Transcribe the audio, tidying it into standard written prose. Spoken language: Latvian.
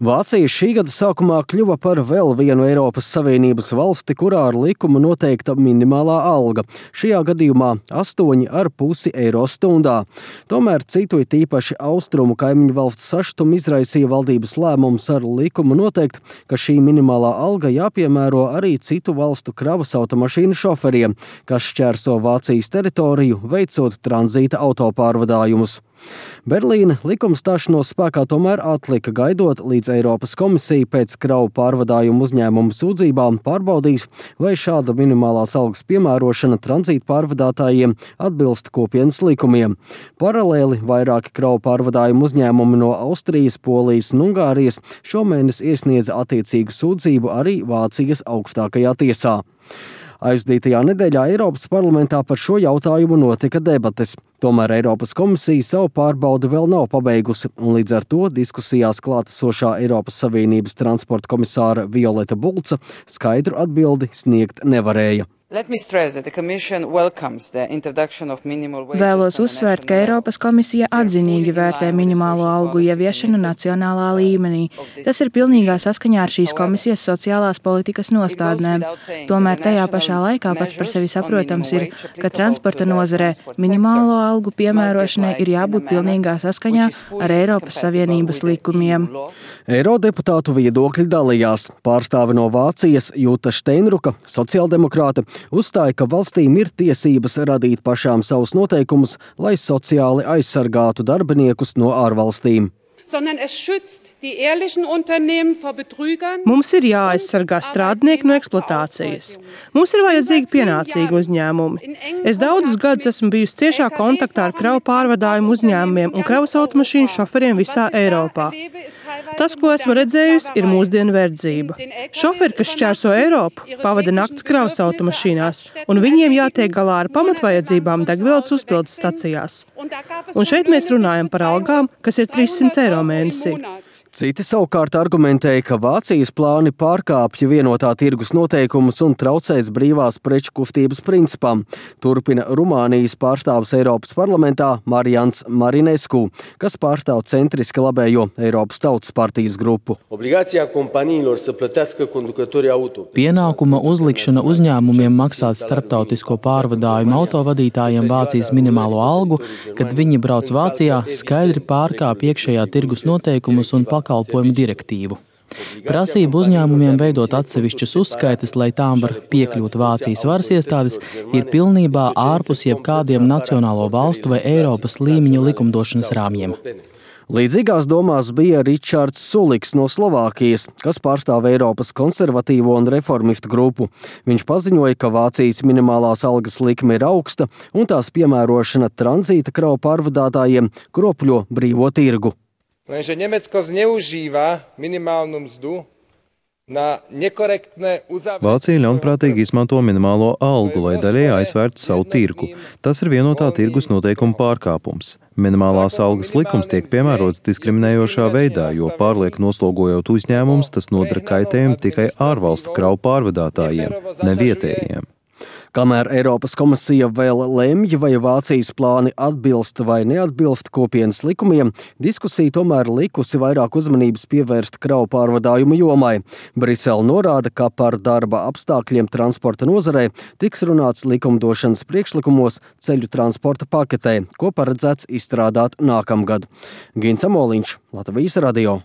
Vācija šī gada sākumā kļuva par vēl vienu Eiropas Savienības valsti, kurā ar likumu noteikta minimālā alga. Šajā gadījumā 8,5 eiro stundā. Tomēr citu it īpaši austrumu kaimiņu valstu sašutumu izraisīja valdības lēmums ar likumu noteikt, ka šī minimālā alga jāpiemēro arī citu valstu kravas automašīnu šoferiem, kas šķērso Vācijas teritoriju, veicot tranzīta autopārvadājumus. Berlīne likuma stāšanos spēkā tomēr atlika, gaidot, līdz Eiropas komisija pēc kravu pārvadājumu uzņēmumu sūdzībām pārbaudīs, vai šāda minimālās algas piemērošana tranzīta pārvadātājiem atbilst kopienas likumiem. Paralēli vairāki kravu pārvadājumu uzņēmumi no Austrijas, Polijas un Ungārijas šomēnes iesniedza attiecīgu sūdzību arī Vācijas augstākajā tiesā. Aizdītajā nedēļā Eiropas parlamentā par šo jautājumu notika debates. Tomēr Eiropas komisija savu pārbaudi vēl nav pabeigusi, un līdz ar to diskusijās klātesošā Eiropas Savienības transporta komisāra Violeta Bulca skaidru atbildi sniegt nevarēja. Vēlos uzsvērt, ka Eiropas komisija atzinīgi vērtē minimālo algu ieviešanu nacionālā līmenī. Tas ir pilnīgā saskaņā ar šīs komisijas sociālās politikas nostādnēm. Tomēr tajā pašā laikā pats par sevi saprotams ir, ka transporta nozarē minimālo algu piemērošanai ir jābūt pilnīgā saskaņā ar Eiropas Savienības likumiem. Eirodeputātu viedokļi dalījās. Pārstāve no Vācijas Jūta Steinruka, sociāldemokrāte, uzstāja, ka valstīm ir tiesības radīt pašām savus noteikumus, lai sociāli aizsargātu darbiniekus no ārvalstīm. Mums ir jāaizsargā strādnieki no eksploatācijas. Mums ir vajadzīgi pienācīgi uzņēmumi. Es daudzus gadus esmu bijusi ciešā kontaktā ar kravu pārvadājumu uzņēmumiem un kravas automašīnu šoferiem visā Eiropā. Tas, ko esmu redzējusi, ir mūsdienu verdzība. Šoferi, kas šķērso Eiropu, pavada nakts kravas automašīnās, un viņiem jātiek galā ar pamatvajadzībām degvielas uzpildes stacijās. Un šeit mēs runājam par algām, kas ir 300 eiro mēnesī. Citi savukārt argumentēja, ka Vācijas plāni pārkāpja vienotā tirgus noteikumus un traucēs brīvās preču kustības principam. Turpina Rumānijas pārstāvis Eiropas parlamentā Marijans Marinescu, kas pārstāv centriski labējo Eiropas Tautas partijas grupu. Pienākuma uzlikšana uzņēmumiem maksāt starptautisko pārvadājumu autovadītājiem Vācijas minimālo algu, kad viņi brauc Vācijā, skaidri pārkāpj iekšējā tirgus noteikumus un pakalpojumu direktīvu. Prasība uzņēmumiem veidot atsevišķas uzskaites, lai tām var piekļūt Vācijas varas iestādes, ir pilnībā ārpus jebkādiem nacionālo valstu vai Eiropas līmeņu likumdošanas rāmjiem. Līdzīgās domās bija Ričards Suliks no Slovākijas, kas pārstāv Eiropas konservatīvo un reformistu grupu. Viņš paziņoja, ka Vācijas minimālās algas likme ir augsta un tās piemērošana tranzīta kravu pārvadātājiem kropļo brīvo tirgu. Lenže Nemecko zneužíva minimálnu mzdu na nekorektné uzavrietie. Vācija ļaunprātīgi izmanto minimālo algu, lai daļēji aizvērtu savu tirgu. Tas ir vienotā tirgus noteikuma pārkāpums. Minimālās algas likums tiek piemērots diskriminējošā veidā, jo pārlieku noslogojot uzņēmumus, tas nodara kaitējumu tikai ārvalstu kravu pārvadātājiem, ne vietējiem. Kamēr Eiropas komisija vēl lemj, vai Vācijas plāni atbilst vai neatbilst kopienas likumiem, diskusija tomēr likusi vairāk uzmanības pievērst kravu pārvadājumu jomai. Brisele norāda, ka par darba apstākļiem transporta nozarē tiks runāts likumdošanas priekšlikumos ceļu transporta paketē, ko paredzēts izstrādāt nākamgad. Gins Amoliņš, Latvijas radio.